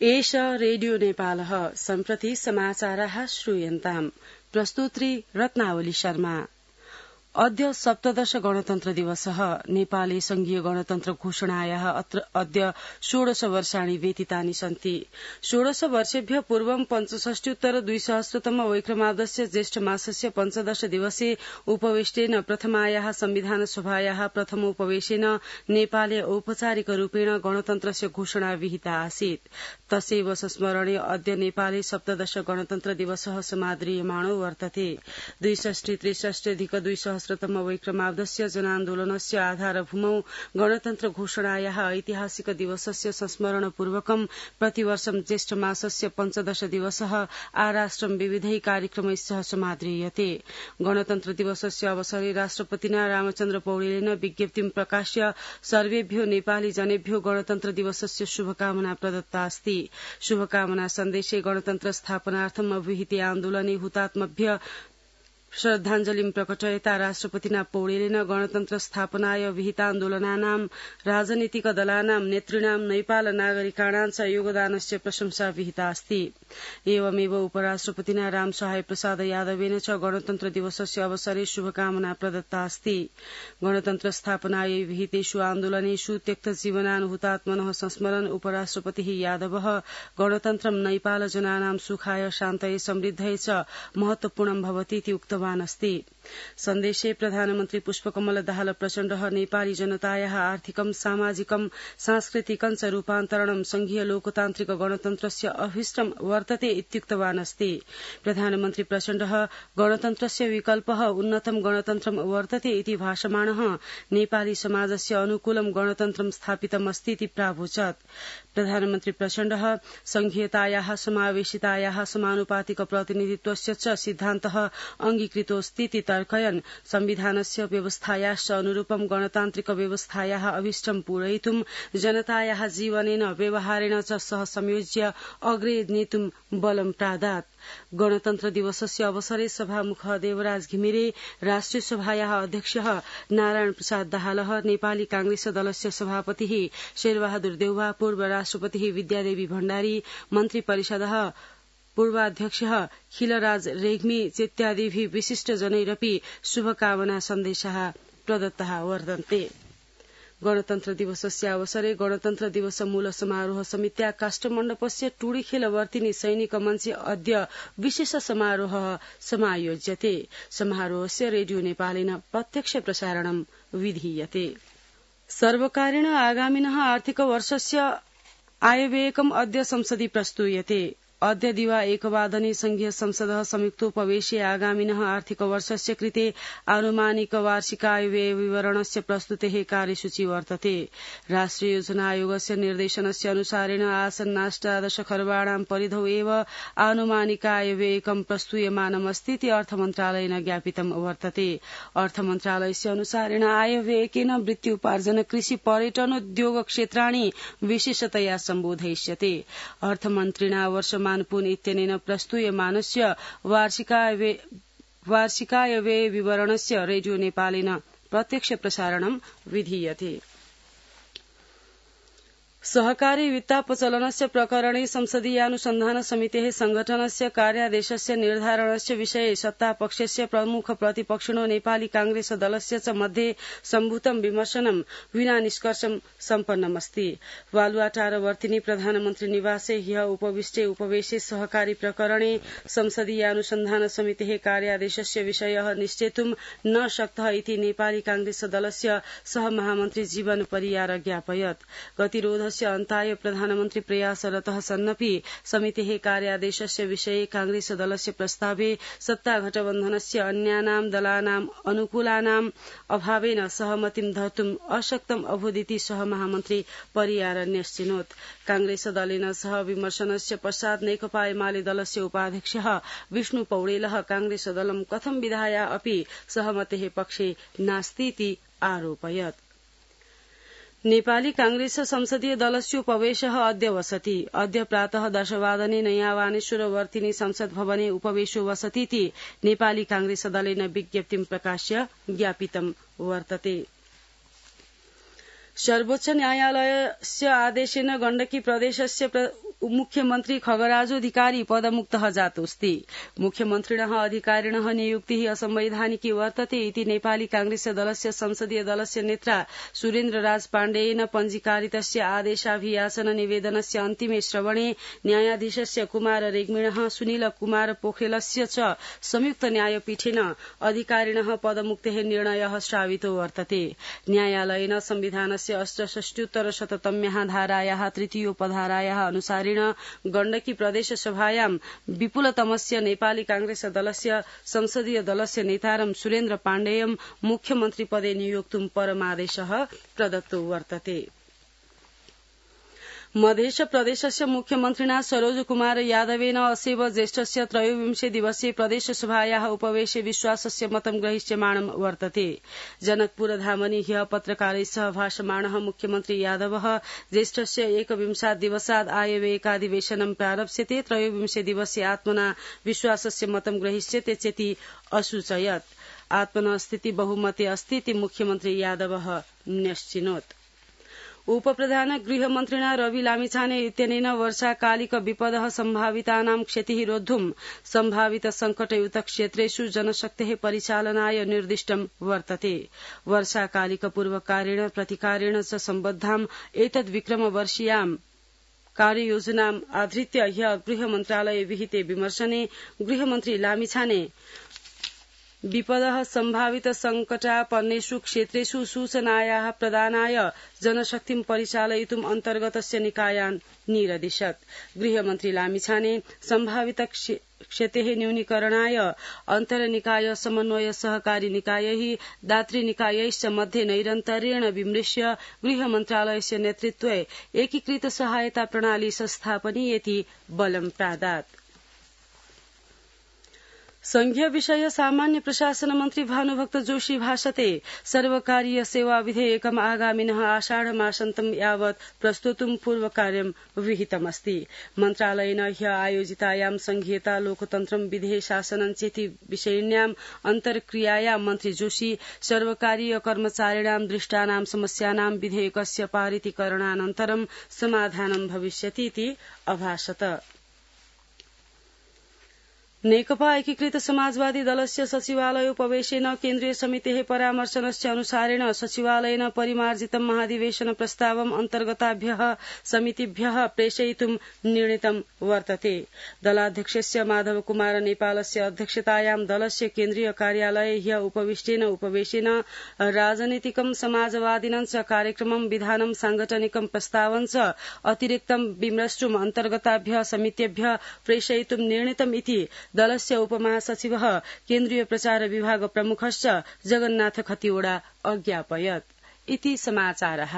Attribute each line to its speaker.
Speaker 1: एष रेडियो नेपालः सम्प्रति समाचाराः श्रूयन्ताम्। प्रस्तुत्री रत्नावली शर्मा। अद्य सप्तदश गणतन्त्र दिवसः। नेपाले संघीय गणतन्त्र घोषणायाः अद्य 16 वर्षाणि व्यतीतानि सन्ति। 16 वर्षेभ्यः पूर्वं 65-200तम वैक्रमाब्दस्य ज्येष्ठ मासस्य 15 दिवसे उपवेशनेन प्रथमायाः संविधान सभायाः प्रथमोपवेशेन नेपाले औपचारिकरूपेण गणतन्त्रस्य घोषणा विहिता आसीत्। तस्यैव संस्मरणे अद्य नेपाले सप्तदश गणतन्त्र दिवसः समादरीयमाणो वर्तते। 62-63-200तम वैक्रमाब्दस्य जनान्दोलनस्य आधारभूमौ गणतन्त्र घोषणायाः ऐतिहासिक दिवसस्य संस्मरणपूर्वकं प्रतिवर्षं ज्येष्ठ मासस्य 15 दिवसः आराष्ट्रं विविधै कार्यक्रमैः समाद्रियते। गणतन्त्र दिवसस्य अवसरे राष्ट्रपतिना रामचन्द्र पौडेलेन विज्ञप्तिं प्रकाश्य सर्वेभ्यो नेपाली जनेभ्यो गणतन्त्र दिवसस्य शुभकामना प्रदत्ता अस्ति। शुभकामना सन्देशे गणतन्त्र स्थापनार्थं अभिहिते आन्दोलने हुतात्मभ्य श्रद्धाञ्जलिं प्रकटयता राष्ट्रपतिना पौडेलेन गणतन्त्र स्थापनाय विहितान्दोलनानां राजनीतिक दलानां नेतृणां नेपाल नागरिकाणां च योगदानस्य प्रशंसा विहिता अस्ति। एवमेव उपराष्ट्रपतिना रामसहाय प्रसाद यादवेन च गणतन्त्र दिवसस्य अवसरे शुभकामना प्रदत्ता अस्ति। गणतन्त्र स्थापनायै विहितेषु आन्दोलनेषु त्यक्त जीवनान् हुतात्मनः संस्मरन् उपराष्ट्रपतिः यादवः गणतन्त्रं नेपाल जनानां सुखाय शान्तये समृद्धये च महत्वपूर्णं भवतीति उक्तवान् अस्ति। सन्देशे प्रधानमन्त्री पुष्पकमल दाहाल प्रचण्डः नेपाली जनतायाः आर्थिकं सामाजिकं सांस्कृतिकं च रूपान्तरणं संघीय लोकतान्त्रिक गणतन्त्रस्य अभीष्टं वर्तते इत्युक्तवान् अस्ति। प्रधानमन्त्री प्रचण्डः गणतन्त्रस्य विकल्पः उन्नतं गणतन्त्रं वर्तते इति भाषमाणः नेपाली समाजस्य अनुकूलं गणतन्त्रं स्थापितमस्ति इति प्रावोचत्। प्रधानमन्त्री प्रचण्डः संघीयतायाः समावेशितायाः समानुपातिक प्रतिनिधित्वस्य च सिद्धान्तः अंगीकृतोऽस्तीति तर्कयन् संविधानस्य व्यवस्थायाश्च अनुरूपं गणतान्त्रिक व्यवस्थायाः अभीष्टं पूरयितुं जनतायाः जीवनेन व्यवहारेण च सह संयोज्य अग्रे नेतुं बलं प्रादात्। गणतन्त्र दिवसस्य अवसरे सभामुख देवराज घिमिरे, राष्ट्रिय सभायाः अध्यक्षः नारायण प्रसाद दाहालः, नेपाली कांग्रेस दलस्य सभापतिः शेरबहादुर देउवा, पूर्व राष्ट्रपतिः विद्यादेवी भण्डारी, मन्त्री परिषदः पूर्वाध्यक्षः खिलराज रेग्मी इत्यादिभिः विशिष्टजनैरपि शुभकामना सन्देशाः प्रदत्ताः वर्तन्ते। गणतन्त्र दिवसस्य अवसरे गणतन्त्र दिवस मूल समारोह समित्या काष्ठमण्डपस्य टुडीखेलवर्तिनी सैनिक मञ्चे अद्य विशेष समारोहः समायोज्यते। समारोहस्य रेडियो नेपालेन प्रत्यक्ष प्रसारणं विधीयते। सर्वकारेण आगामिनः आर्थिक वर्षस्य आयव्ययकम् अद्य संसदि प्रस्तूयते। अद्य दिवा 1 संघीय संसदः संयुक्तोपवेशे आगामिनः आर्थिक वर्षस्य कृते आनुमानिक वार्षिक आयव्यय विवरणस्य प्रस्तुतेः कार्यसूची वर्तते। राष्ट्रिय योजना आयोगस्य निर्देशनस्य अनुसारेण आसन्नाष्टादश खर्वाणां परिधौ एव आनुमानिक आयव्ययकं प्रस्तूयमानमस्ति इति अर्थमन्त्रालयेन ज्ञापितं वर्तते। अर्थमन्त्रालयस्य अनुसारेण आयव्ययकेन वृत्त्युपार्जन, कृषि, पर्यटनोद्योग क्षेत्राणि विशेषतया सम्बोधयिष्यते। अर्थमन्त्रिणा वर्षमानपून इत्यनेन प्रस्तूयमानस्य वार्षिकायव्यय विवरणस्य रेडियो नेपालेन प्रत्यक्ष प्रसारणं विधीयते। सहकारी वित्तापचलनस्य प्रकरणे संसदीयानुसन्धान समितेः संघटनस्य कार्यादेशस्य निर्धारणस्य विषये सत्तापक्षस्य प्रमुख प्रतिपक्षिणो नेपाली कांग्रेस दलस्य च मध्ये सम्भूतं विमर्शनं विना निष्कर्षं सम्पन्नमस्ति। वालुवाटारवर्तिनी प्रधानमन्त्री निवासे ह्यः उपविष्टे उपवेशे सहकारी प्रकरणे संसदीयानुसन्धान समितेः कार्यादेशस्य विषयः निश्चेतुं न शक्तः इति नेपाली कांग्रेस दलस्य सहमहामन्त्री जीवन परियार ज्ञापयत्। गतिरोध अन्ताय प्रधानमन्त्री प्रयासरतः सन्नपि समितेः कार्यादेशस्य विषये कांग्रेस दलस्य प्रस्तावे सत्ताघटबन्धनस्य अन्यानां दलानां अनुकूलानां अभावेन सहमतिं धर्तुम् अशक्तम् अभूदिति सहमहामन्त्री परियार न्यश्चिनोत्। कांग्रेस दलेन सह विमर्शनस्य पश्चात् नेकपा एमाले दलस्य उपाध्यक्षः विष्णु पौडेलः कांग्रेस दलं कथं विधाय अपि सहमतेः पक्षे नास्तीति आरोपयत्। नेपाली कांग्रेस संसदीय दलस्योपवेशः अद्य वसति। अद्य प्रातः 10 वादने नयावानेश्वरवर्तिनी संसद भवने उपवेशो वसतीति नेपाली कांग्रेस दलेन विज्ञप्तिं प्रकाश्य ज्ञापितं वर्तते। सर्वोच्च न्यायालयस्य आदेशेन गण्डकी प्रदेशस्य मुख्यमन्त्री खगराजोऽधिकारी पदमुक्तः जातोऽस्ति। मुख्यमन्त्रिणः अधिकारिणः नियुक्तिः असंवैधानिकी वर्तते इति नेपाली कांग्रेस दलस्य संसदीय दलस्य नेत्रा सुरेन्द्र राज पाण्डेयेन पञ्जीकारितस्य आदेशाभियाचन निवेदनस्य अन्तिमे श्रवणे न्यायाधीशस्य कुमार रेग्मिणः सुनील कुमार पोखरेलस्य च संयुक्त न्यायपीठेन अधिकारिणः पदमुक्तेः निर्णयः श्रावितो वर्तते। न्यायालयेन संविधानस्य 68-शततम्याः धारायाः तृतीयोपधारायाः अनुसारेण गण्डकी प्रदेश सभायां विपुलतमस्य नेपाली कांग्रेस दलस्य संसदीय दलस्य नेतारं सुरेन्द्र पाण्डेयं मुख्यमन्त्रिपदे नियोक्तुं परमादेशः प्रदत्तो वर्तते। मध्य प्रदेशस्य मुख्यमन्त्रिणा सरोज कुमार यादवेन असेव ज्येष्ठस्य 23 दिवसीय प्रदेशसभायाः उपवेशे विश्वासस्य मतं ग्रहीष्यमाणं वर्तते। जनकपुरधामनि ह्यः पत्रकारैः सह भाषमाणः मुख्यमन्त्री यादवः ज्येष्ठस्य 21 दिवसात् आयव्ययिकाधिवेशनं प्रारप्स्यते। 23 दिवसीय आत्मना विश्वासस्य मतं ग्रहीष्यते चेति असूचयत्। आत्मना स्थिति बहुमते अस्ति इति मुख्यमन्त्री यादवः न्यश्चिनोत्। उपप्रधान गृहमन्त्रिणा रवि लामिछाने इत्यनेन वर्षाकालिक विपदः सम्भावितानां क्षतिः रोद्धुं सम्भावित संकटयुक्त क्षेत्रेषु जनशक्तेः परिचालनाय निर्दिष्टं वर्तते। वर्षाकालिक पूर्वकारेण प्रतिकारेण च सम्बद्धाम् एतद्विक्रमवर्षीयां कार्ययोजनाम् आधृत्य ह्यः गृहमन्त्रालये विहिते विमर्शने गृहमन्त्री लामिछाने विपदः सम्भावित संकटापन्नेषु क्षेत्रेषु सूचनायाः प्रदानाय जनशक्तिं परिचालयितुम् अन्तर्गतस्य निकायान् निरदिशत्। गृहमन्त्री लामिछाने सम्भावित क्षतेः न्यूनीकरणाय अन्तर्निकाय समन्वय सहकारी निकायैः दातृनिकायैश्च मध्ये नैरन्तर्येण विमृश्य गृहमन्त्रालयस्य नेतृत्वे एकीकृत सहायता प्रणाली संस्थापनीयेति बलं प्रादात्। संघीय विषय सामान्य प्रशासन मन्त्री भानुभक्त जोशी भाषते सर्वकारीय सेवा विधेयकम् आगामिनः आषाढमासान्तं यावत् प्रस्तोतुं पूर्वकार्यं विहितमस्ति। मन्त्रालयेन ह्यः आयोजितायां संघीयता लोकतन्त्रं विधेय शासनं चेति विषयिण्याम् अन्तर्क्रियायां मन्त्री जोशी सर्वकारीय कर्मचारिणां दृष्टानां समस्यानां विधेयकस्य पारितीकरणानन्तरं समाधानं भविष्यति इति अभाषत। नेकपा एकीकृत समाजवादी दलस्य सचिवालयोपवेशेन केन्द्रीय समितेः परामर्शनस्य अनुसारेण सचिवालयेन परिमार्जितं महाधिवेशन प्रस्तावम् अन्तर्गताभ्यः समितिभ्यः प्रेषयितुं निर्णीतं वर्तते। दलाध्यक्षस्य माधव कुमार नेपालस्य अध्यक्षतायां दलस्य केन्द्रीय कार्यालये ह्यः उपविष्टेन उपवेशेन राजनीतिकं समाजवादिनं च कार्यक्रमं विधानं सांगठनिकं प्रस्तावं च अतिरिक्तं विमृष्टुम् अन्तर्गताभ्यः समितेभ्यः प्रेषयितुं निर्णीतम् इति दलस्य उपमहासचिवः केन्द्रीय प्रचार विभाग प्रमुखश्च जगन्नाथ खतिवड़ा अज्ञापयत्। इति समाचारः।